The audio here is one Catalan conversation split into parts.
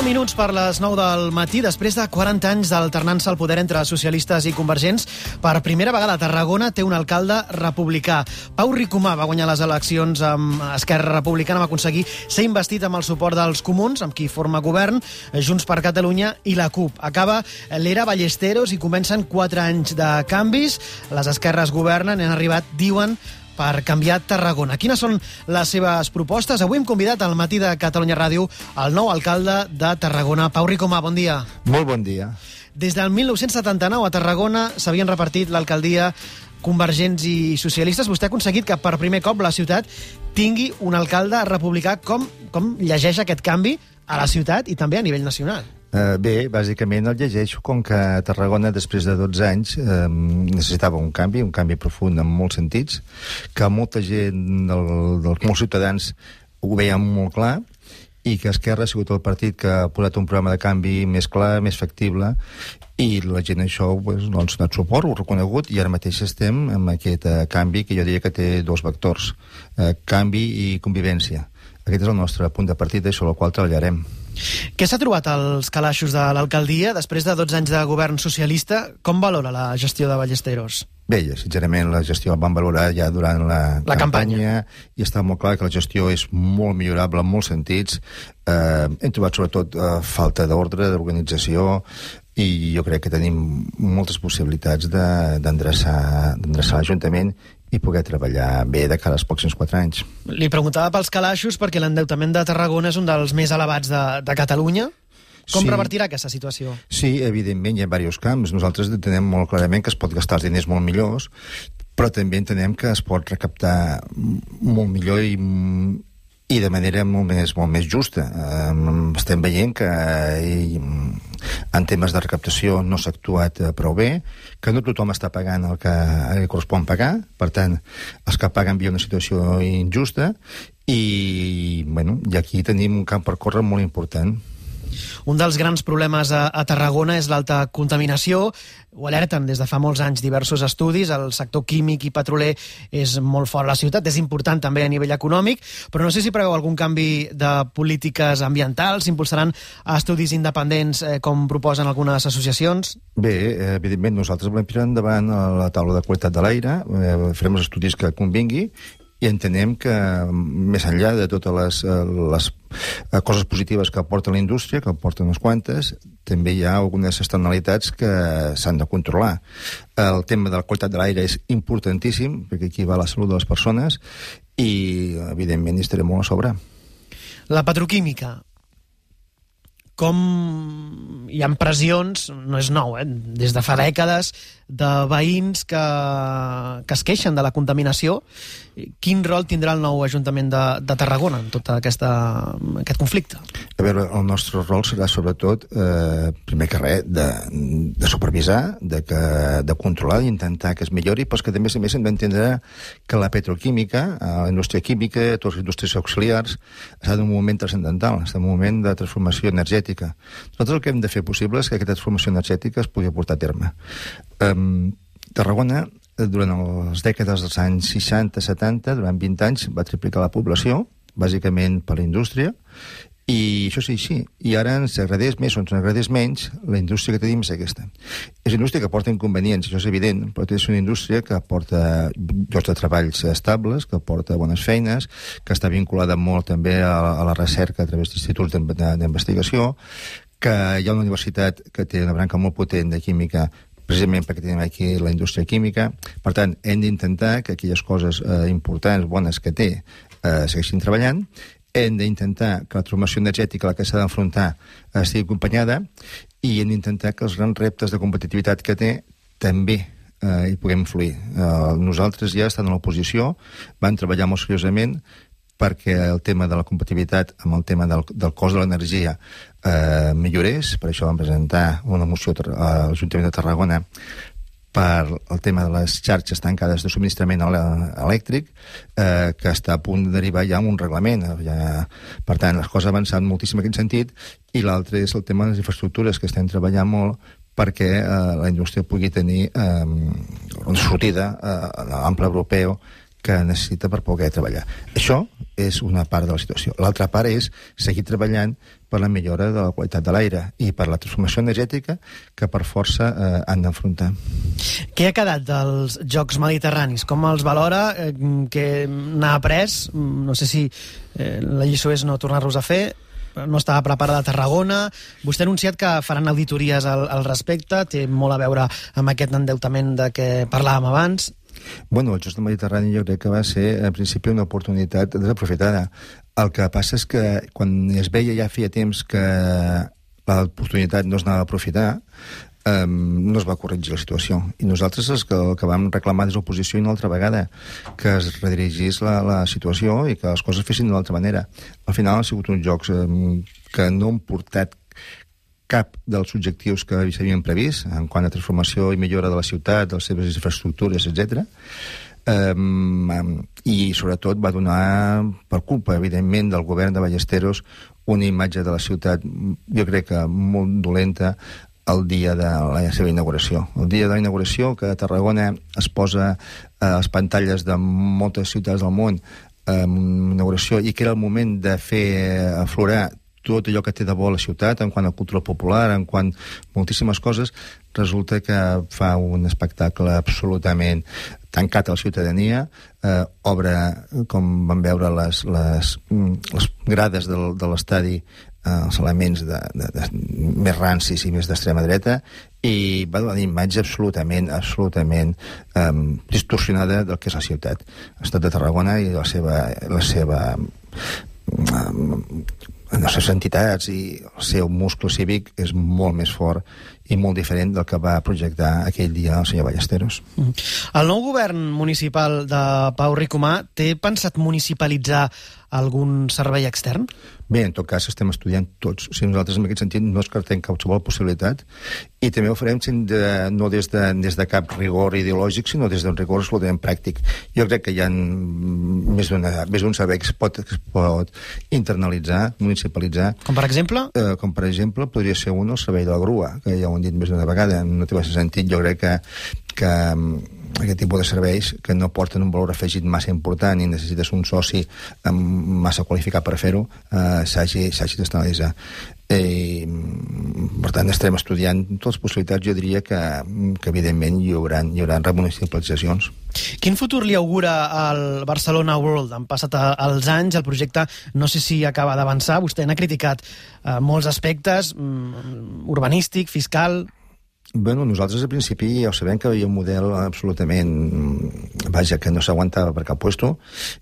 minuts per les 9 del matí, després de 40 anys d'alternança al poder entre socialistes i convergents, per primera vegada Tarragona té un alcalde republicà. Pau Ricomà va guanyar les eleccions amb Esquerra Republicana, va aconseguir ser investit amb el suport dels comuns, amb qui forma govern, Junts per Catalunya i la CUP. Acaba l'era Ballesteros i comencen 4 anys de canvis. Les esquerres governen i han arribat, diuen, per canviar Tarragona. Quines són les seves propostes? Avui hem convidat al matí de Catalunya Ràdio el nou alcalde de Tarragona. Pau Ricomà, bon dia. Molt bon dia. Des del 1979 a Tarragona s'havien repartit l'alcaldia convergents i socialistes. Vostè ha aconseguit que per primer cop la ciutat tingui un alcalde republicà. Com llegeix aquest canvi a la ciutat i també a nivell nacional? Bé, bàsicament el llegeixo com que Tarragona, després de 12 anys, necessitava un canvi profund en molts sentits, que molta gent, molts ciutadans, ho veien molt clar, i que Esquerra ha sigut el partit que ha posat un programa de canvi més clar, més factible, i la gent això doncs, ha donat suport, ho ha reconegut, i ara mateix estem amb aquest canvi que jo diria que té dos vectors, canvi i convivència. Aquest és el nostre punt de partida i sobre el qual treballarem. Què s'ha trobat als calaixos de l'alcaldia després de 12 anys de govern socialista? Com valora la gestió de Ballesteros? Bé, sincerament la gestió la vam valorar ja durant la campanya i està molt clar que la gestió és molt millorable en molts sentits. Hem trobat sobretot falta d'ordre, d'organització, i jo crec que tenim moltes possibilitats d'endreçar l'Ajuntament i poder treballar bé de cara als pròxims 4 anys. Li preguntava pels calaixos perquè l'endeutament de Tarragona és un dels més elevats de Catalunya. Com revertirà aquesta situació? Sí, evidentment, hi ha diversos camps. Nosaltres entenem molt clarament que es pot gastar els diners molt millors, però també entenem que es pot recaptar molt millor i de manera molt més justa. Estem veient que en temes de recaptació no s'ha actuat prou bé, que no tothom està pagant el que li correspon pagar, per tant, els que paguen viuen una situació injusta, i aquí tenim un camp per córrer molt important. Un dels grans problemes a Tarragona és l'alta contaminació. Ho alerten des de fa molts anys diversos estudis. El sector químic i petroler és molt fort a la ciutat, és important també a nivell econòmic, però no sé si preveu algun canvi de polítiques ambientals, s'impulsaran estudis independents com proposen algunes associacions? Bé, evidentment nosaltres volem tirar endavant la taula de qualitat de l'aire, farem els estudis que convingui, i entenem que més enllà de totes les coses positives que aporta la indústria, que aporten unes quantes, també hi ha algunes externalitats que s'han de controlar. El tema de la qualitat de l'aire és importantíssim, perquè aquí va la salut de les persones, i evidentment hi estarem molt a sobre. La petroquímica. Com hi ha pressions, no és nou, des de fa dècades, de veïns que es queixen de la contaminació. Quin rol tindrà el nou Ajuntament de Tarragona en tot aquest conflicte? A veure, el nostre rol serà sobretot, primer que res, de supervisar, de controlar, d'intentar que es millori, però que també a més hem d'entendre que la petroquímica, la indústria química, totes les indústries auxiliars, està en un moment transcendental, està en un moment de transformació energètica. Nosaltres el que hem de fer possible és que aquesta transformació energètica es pugui portar a terme. Tarragona, durant les dècades dels anys 60-70, durant 20 anys, va triplicar la població, bàsicament per la indústria, i això és així. I ara ens agradés més o ens agradés menys, la indústria que tenim és aquesta. És una indústria que porta inconvenients, això és evident, però és una indústria que porta llocs de treballs estables, que porta bones feines, que està vinculada molt també a la recerca a través d'instituts d'investigació, que hi ha una universitat que té una branca molt potent de química, precisament perquè tenim aquí la indústria química. Per tant, hem d'intentar que aquelles coses importants, bones que té, segueixin treballant. Hem d'intentar que la transformació energètica a la que s'ha d'enfrontar estigui acompanyada, i hem d'intentar que els grans reptes de competitivitat que té també hi puguem influir. Nosaltres ja estant a l'oposició vam treballar molt seriosament perquè el tema de la competitivitat amb el tema del cost de l'energia millorés. Per això vam presentar una moció a l'Ajuntament de Tarragona per el tema de les xarxes tancades de subministrament elèctric, que està a punt de derivar ja en un reglament. Per tant, les coses avançant moltíssim en aquest sentit, i l'altre és el tema de les infraestructures, que estem treballant molt perquè la indústria pugui tenir una sortida a l'ample europeu que necessita per poder treballar. Això és una part de la situació. L'altra part és seguir treballant per la millora de la qualitat de l'aire i per la transformació energètica que per força han d'enfrontar. Què ha quedat dels Jocs Mediterranis? Com els valora? Què n'ha après? No sé si la lliçó és no tornar-los a fer. No estava preparada a Tarragona. Vostè ha anunciat que faran auditories al respecte. Té molt a veure amb aquest endeutament de què parlàvem abans. Bueno, el Jocs del Mediterrani jo crec que va ser, en principi, una oportunitat desaprofitada. El que passa és que quan es veia ja feia temps que l'oportunitat no es anava a aprofitar, no es va corregir la situació. I nosaltres el que vam reclamar des de l'oposició una altra vegada, que es redirigís la situació i que les coses fessin d'una altra manera. Al final han sigut uns jocs que no han portat cap dels objectius que s'havien previst en quant a transformació i millora de la ciutat, de les seves infraestructures, etc. I sobretot va donar, per culpa evidentment del govern de Ballesteros, una imatge de la ciutat, jo crec que molt dolenta, el dia de la seva inauguració. El dia de la inauguració, que a Tarragona es posa a les pantalles de moltes ciutats del món inauguració, i que era el moment de fer aflorar tot allò que té de bo la ciutat, en quant a cultura popular, en quant a moltíssimes coses, resulta que fa un espectacle absolutament tancat a la ciutadania, obre, com vam veure les grades de l'estadi, els elements més rancis i més d'extrema dreta, i va donar una imatge absolutament distorsionada del que és la ciutat. L'estat de Tarragona i les seves entitats i el seu muscle cívic és molt més fort i molt diferent del que va projectar aquell dia el senyor Ballesteros. El nou govern municipal de Pau Ricomà té pensat municipalitzar algun servei extern? Bé, en tot cas estem estudiant tots. O sigui, nosaltres en aquest sentit no descartem qualsevol possibilitat i també ho farem no des de cap rigor ideològic, sinó des d'un rigor absolutament pràctic. Jo crec que hi ha més d'un servei que es pot internalitzar, municipalitzar. Com per exemple? Com per exemple podria ser el servei de la grua, que ja ho han dit més d'una vegada. No té massa sentit. Jo crec que aquest tipus de serveis que no porten un valor afegit massa important i necessites un soci massa qualificat per fer-ho, s'hagi d'externalitzar. Per tant, estarem estudiant totes les possibilitats. Jo diria que evidentment hi haurà remunicipalitzacions. Quin futur li augura al Barcelona World? Han passat els anys, el projecte no sé si acaba d'avançar. Vostè n'ha criticat molts aspectes, urbanístic, fiscal. Bueno, nosaltres al principi ja ho sabem que hi havia un model absolutament, que no s'aguantava per cap puesto.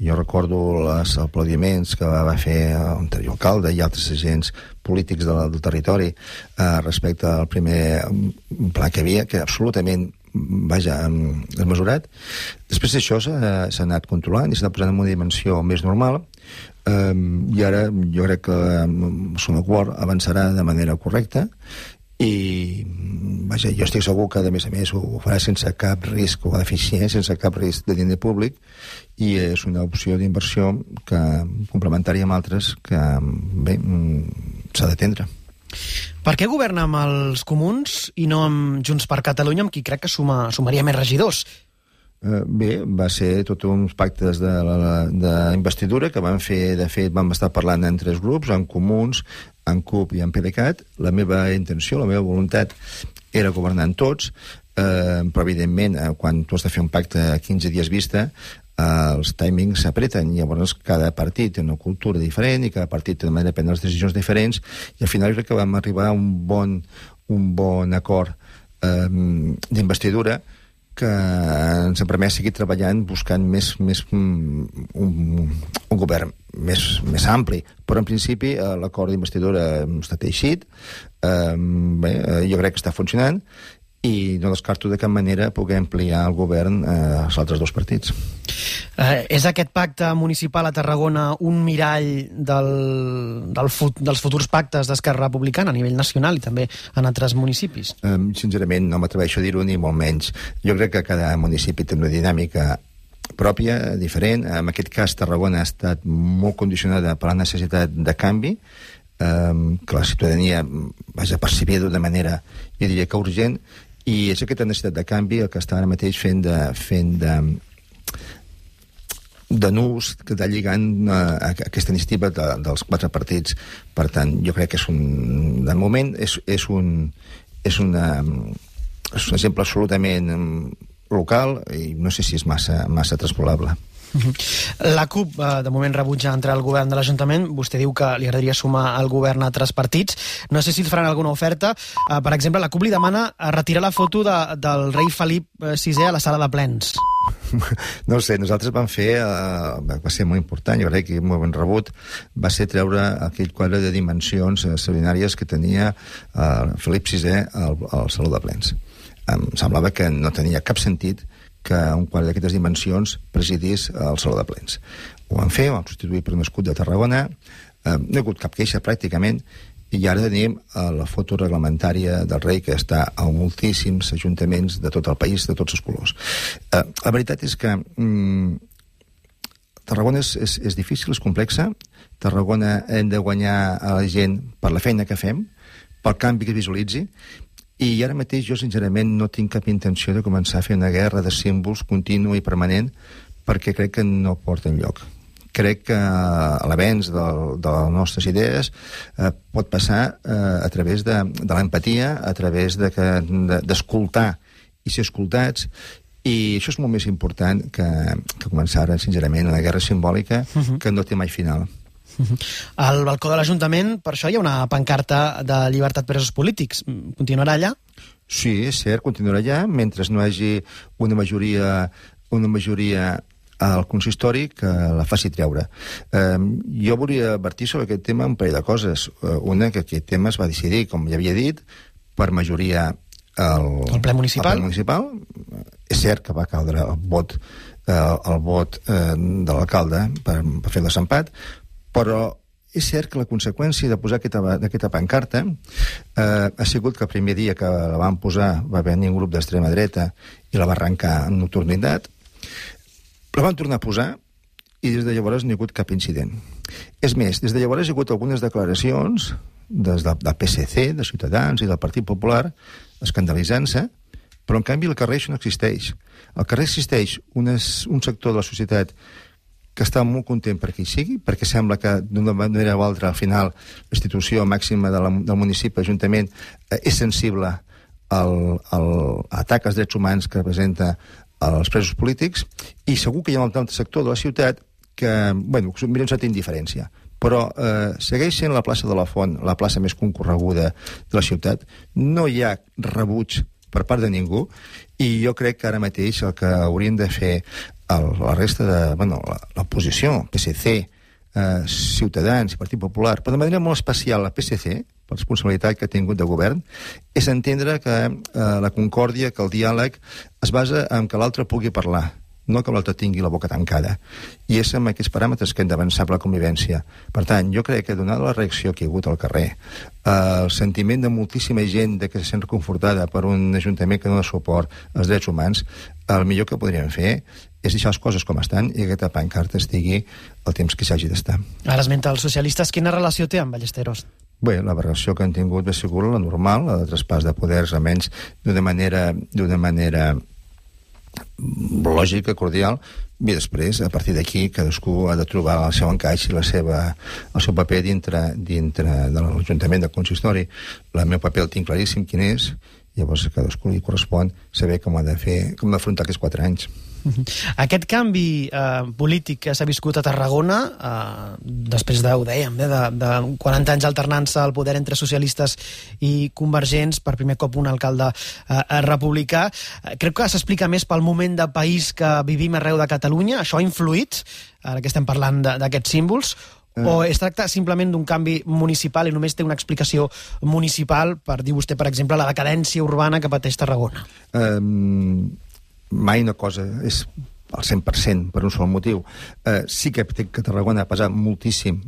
Jo recordo els aplaudiments que va fer l'anterior alcalde i altres agents polítics del territori respecte al primer pla que havia, que era absolutament desmesurat. Després d'això s'ha anat controlant i s'ha anat posant en una dimensió més normal, i ara jo crec que el Sonor World avançarà de manera correcta i jo estic segur que a més ho farà sense cap risc o deficiència, sense cap risc de diner públic, i és una opció d'inversió complementària amb altres que s'ha d'atendre. Per què governa amb els comuns i no amb Junts per Catalunya, amb qui crec que sumaria més regidors? Bé, va ser tots uns pactes d'investidura que vam fer. De fet, vam estar parlant en tres grups, en Comuns, en CUP i en PDeCAT. La meva intenció, la meva voluntat era governar amb tots, però evidentment quan tu has de fer un pacte a 15 dies vista, els timings s'apreten, i llavors cada partit té una cultura diferent i cada partit té una manera de prendre les decisions diferents, i al final crec que vam arribar a un bon acord d'investidura que ens ha permès seguir treballant buscant un govern més ampli. Però en principi l'acord d'investidura està teixit, jo crec que està funcionant, i no descarto de cap manera poder ampliar el govern als altres dos partits. És aquest pacte municipal a Tarragona un mirall dels futurs pactes d'Esquerra Republicana a nivell nacional i també en altres municipis? Sincerament no m'atreveixo a dir-ho, ni molt menys. Jo crec que cada municipi té una dinàmica pròpia, diferent. En aquest cas Tarragona ha estat molt condicionada per la necessitat de canvi, que la ciutadania percibia d'una manera, jo diria que urgent, i és aquesta necessitat de canvi el que està ara mateix fent de nus que està lligant aquesta iniciativa dels 4 partits. Per tant, jo crec que de moment és un exemple absolutament local i no sé si és massa transpolable. La CUP, de moment, rebutja entrar al govern de l'Ajuntament. Vostè diu que li agradaria sumar al govern a altres partits. No sé si els faran alguna oferta. Per exemple, la CUP li demana retirar la foto del rei Felip VI a la sala de plens. No ho sé, nosaltres vam fer, va ser molt important, jo crec que molt ben rebut, va ser treure aquell quadre de dimensions extraordinàries que tenia Felip VI al saló de plens. Em semblava que no tenia cap sentit que un quadre d'aquestes dimensions presidís al saló de plens. Ho vam fer, ho vam substituir per un escut de Tarragona, no hi ha hagut cap queixa pràcticament, i ara tenim la foto reglamentària del rei que està a moltíssims ajuntaments de tot el país, de tots els colors. La veritat és que Tarragona és difícil, és complexa. Tarragona hem de guanyar a la gent per la feina que fem, pel canvi que es visualitzi, i ara mateix jo sincerament no tinc cap intenció de començar a fer una guerra de símbols contínua i permanent perquè crec que no porta enlloc. Crec que l'avenç de les nostres idees pot passar a través de l'empatia, a través d'escoltar i ser escoltats, i això és molt més important que començar ara, sincerament, una guerra simbòlica que no té mai final. Al balcó de l'Ajuntament, per això hi ha una pancarta de llibertat presos polítics. Continuarà allà? Sí, és cert, continuarà allà, mentre no hi hagi una majoria al consistori que la faci treure. Jo volia advertir sobre aquest tema un parell de coses. Una, que aquest tema es va decidir, com ja havia dit, per majoria al ple municipal. És cert que va caldre el vot de l'alcalde per fer el desempat, però és cert que la conseqüència de posar aquesta pancarta ha sigut que el primer dia que la van posar va venir un grup d'extrema dreta i la va arrencar en nocturnitat. La van tornar a posar i des de llavors no hi ha hagut cap incident. És més, des de llavors hi ha hagut algunes declaracions des del PSC, de Ciutadans i del Partit Popular escandalitzant-se, però en canvi al carrer això no existeix. Al carrer existeix un sector de la societat que està molt content perquè hi sigui, perquè sembla que d'una manera o altra al final la institució màxima del municipi, l'Ajuntament, és sensible al atac als drets humans que representa els presos polítics, i segur que hi ha un altre sector de la ciutat que, bueno, mira un certa indiferència, però segueix sent la plaça de la Font la plaça més concorreguda de la ciutat. No hi ha rebuig per part de ningú, i jo crec que ara mateix el que haurien de fer la resta de... l'oposició, PSC, Ciutadans i Partit Popular, però de manera molt especial la PSC, per responsabilitat que ha tingut de govern, és entendre que la concòrdia, que el diàleg es basa en que l'altre pugui parlar, no que l'altre tingui la boca tancada. I és amb aquests paràmetres que hem d'avançar per la convivència. Per tant, jo crec que donada la reacció que hi ha hagut al carrer, el sentiment de moltíssima gent que se sent reconfortada per un ajuntament que dona suport als drets humans, el millor que podríem fer és deixar les coses com estan i que aquesta pancarta estigui el temps que s'hagi d'estar. Ara esmenta els socialistes. Quina relació té amb Ballesteros? Bé, la relació que han tingut ha sigut la normal, la de traspàs de poders, almenys d'una manera lògica, cordial, i després, a partir d'aquí, cadascú ha de trobar el seu encaix i el seu paper dintre de l'Ajuntament del consistori. El meu paper el tinc claríssim quin és, llavors a cadascú li correspon saber com ha de fer, com d'afrontar aquests 4 anys. Aquest canvi polític que s'ha viscut a Tarragona, després de 40 anys alternant-se al poder entre socialistes i convergents, per primer cop un alcalde republicà, crec que s'explica més pel moment de país que vivim arreu de Catalunya. Això ha influït, ara que estem parlant d'aquests símbols, o es tracta simplement d'un canvi municipal i només té una explicació municipal per dir vostè, per exemple, la decadència urbana que pateix Tarragona? Mai una cosa és al 100% per un sol motiu. Sí que Tarragona ha pesat moltíssim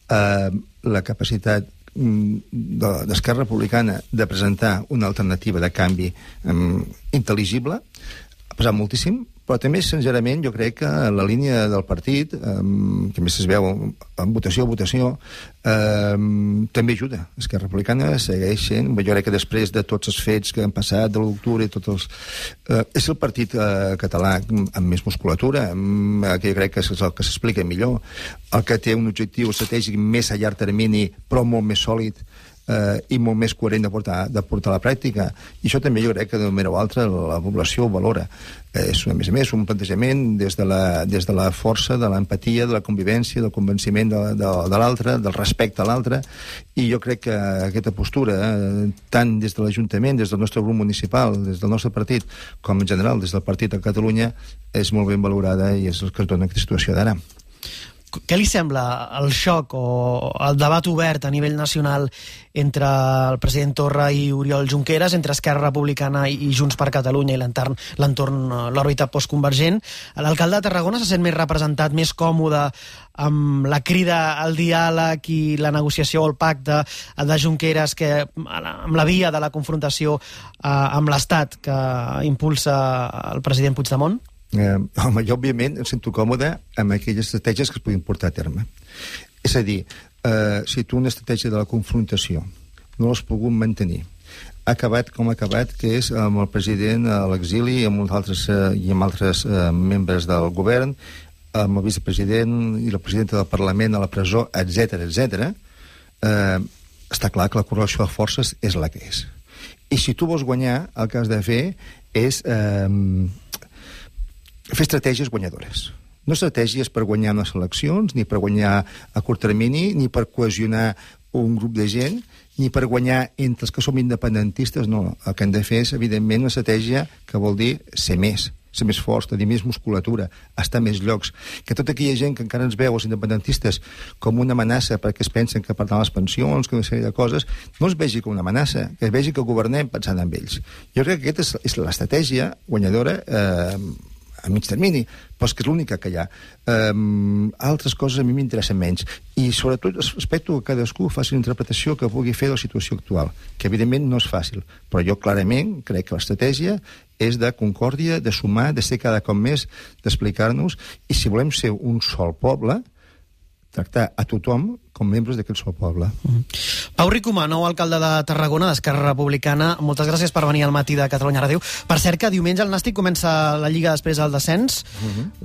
la capacitat d'Esquerra Republicana de presentar una alternativa de canvi intel·ligible. Ha pesat moltíssim, Però també, sincerament, jo crec que la línia del partit, que més es veu en votació a votació, també ajuda. Esquerra Republicana segueix sent, jo crec que després de tots els fets que han passat, de l'octubre i tots els... és el partit català amb més musculatura, que jo crec que és el que s'explica millor, el que té un objectiu estratègic més a llarg termini, però molt més sòlid, i molt més coherent de portar a la pràctica. I això també jo crec que d'una manera o altra la població ho valora. És, a més, un plantejament des de la força, de l'empatia, de la convivència, del convenciment de l'altre, del respecte a l'altre, i jo crec que aquesta postura, tant des de l'Ajuntament, des del nostre grup municipal, des del nostre partit, com en general des del partit a Catalunya, és molt ben valorada i és el que es dona aquesta situació d'ara. Què li sembla el xoc o el debat obert a nivell nacional entre el president Torra i Oriol Junqueras, entre Esquerra Republicana i Junts per Catalunya i l'entorn, l'òrbita postconvergent? L'alcalde de Tarragona se sent més representat, més còmode amb la crida al diàleg i la negociació o el pacte de Junqueras que amb la via de la confrontació amb l'Estat que impulsa el president Puigdemont? Home, jo òbviament em sento còmode amb aquelles estratègies que es puguin portar a terme. És a dir, si tu una estratègia de la confrontació no l'has pogut mantenir, ha acabat com ha acabat, que és amb el president a l'exili i amb altres membres del govern, amb el vicepresident i la presidenta del Parlament a la presó, etc. Està clar que la correlació de forces és la que és. I si tu vols guanyar, el que has de fer és fer estratègies guanyadores. No estratègies per guanyar unes eleccions, ni per guanyar a curt termini, ni per cohesionar un grup de gent, ni per guanyar entre els que som independentistes, no. El que hem de fer és, evidentment, una estratègia que vol dir ser més forts, tenir més musculatura, estar més llocs. Que tota aquella gent que encara ens veu, els independentistes, com una amenaça perquè es pensen que perdran les pensions, que una sèrie de coses, no es vegi com una amenaça, que es vegi que governem pensant en ells. Jo crec que aquesta és l'estratègia guanyadora a mig termini, però és que és l'única que hi ha. Altres coses a mi m'interessen menys. I sobretot respecto que cadascú faci una interpretació que pugui fer de la situació actual, que evidentment no és fàcil, però jo clarament crec que l'estratègia és de concòrdia, de sumar, de ser cada cop més, d'explicar-nos, i si volem ser un sol poble, tractar a tothom com membres d'aquest sol poble. Pau Ricomà, nou alcalde de Tarragona, d'Esquerra Republicana, moltes gràcies per venir al matí de Catalunya Ràdio. Per cert, que diumenge el Nàstic comença la Lliga després del descens.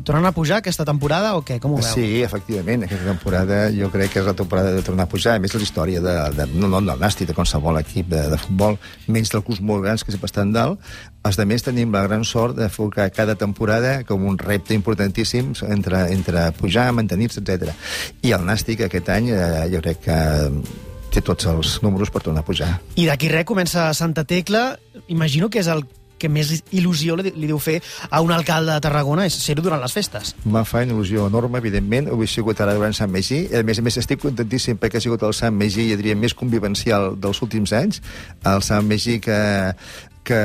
Tornen a pujar aquesta temporada o què? Com ho veu? Sí, efectivament, aquesta temporada jo crec que és la temporada de tornar a pujar. A més, la història no del Nàstic, de qualsevol equip de futbol, menys dels clubs molt grans que sempre estan dalt. Els altres tenim la gran sort de fer cada temporada com un repte importantíssim entre pujar, mantenir-se, etc. I el Nàstic aquest any jo crec que té tots els números per tornar a pujar. I d'aquí res comença Santa Tecla. Imagino que és el que més il·lusió li deu fer a un alcalde de Tarragona és ser-ho durant les festes. Em fa una il·lusió enorme, evidentment. Ho he sigut ara durant Sant Magí. A més estic contentíssim perquè ha sigut el Sant Magí, jo diria, més convivencial dels últims anys. El Sant Magí que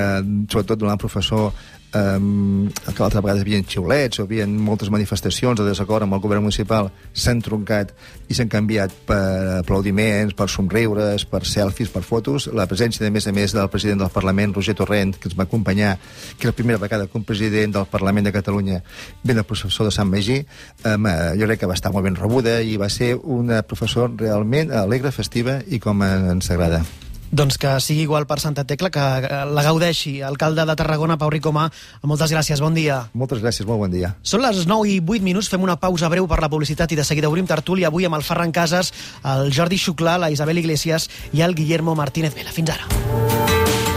sobretot donant professor que l'altra vegada hi havia xiulets o hi havia moltes manifestacions de desacord amb el govern municipal, s'han troncat i s'han canviat per aplaudiments, per somriures, per selfies, per fotos. La presència, a més, del president del Parlament, Roger Torrent, que ens va acompanyar, que és la primera vegada que un president del Parlament de Catalunya ve del professor de Sant Magí, jo crec que va estar molt ben rebuda i va ser una professora realment alegre, festiva i com ens agrada. Doncs que sigui igual per Santa Tecla, que la gaudeixi. Alcalde de Tarragona, Pau Ricomà, moltes gràcies, bon dia. Moltes gràcies, molt bon dia. Són les 9:08, fem una pausa breu per la publicitat i de seguida obrim tertúlia avui amb el Ferran Casas, el Jordi Xuclà, la Isabel Iglesias i el Guillermo Martínez Vela. Fins ara.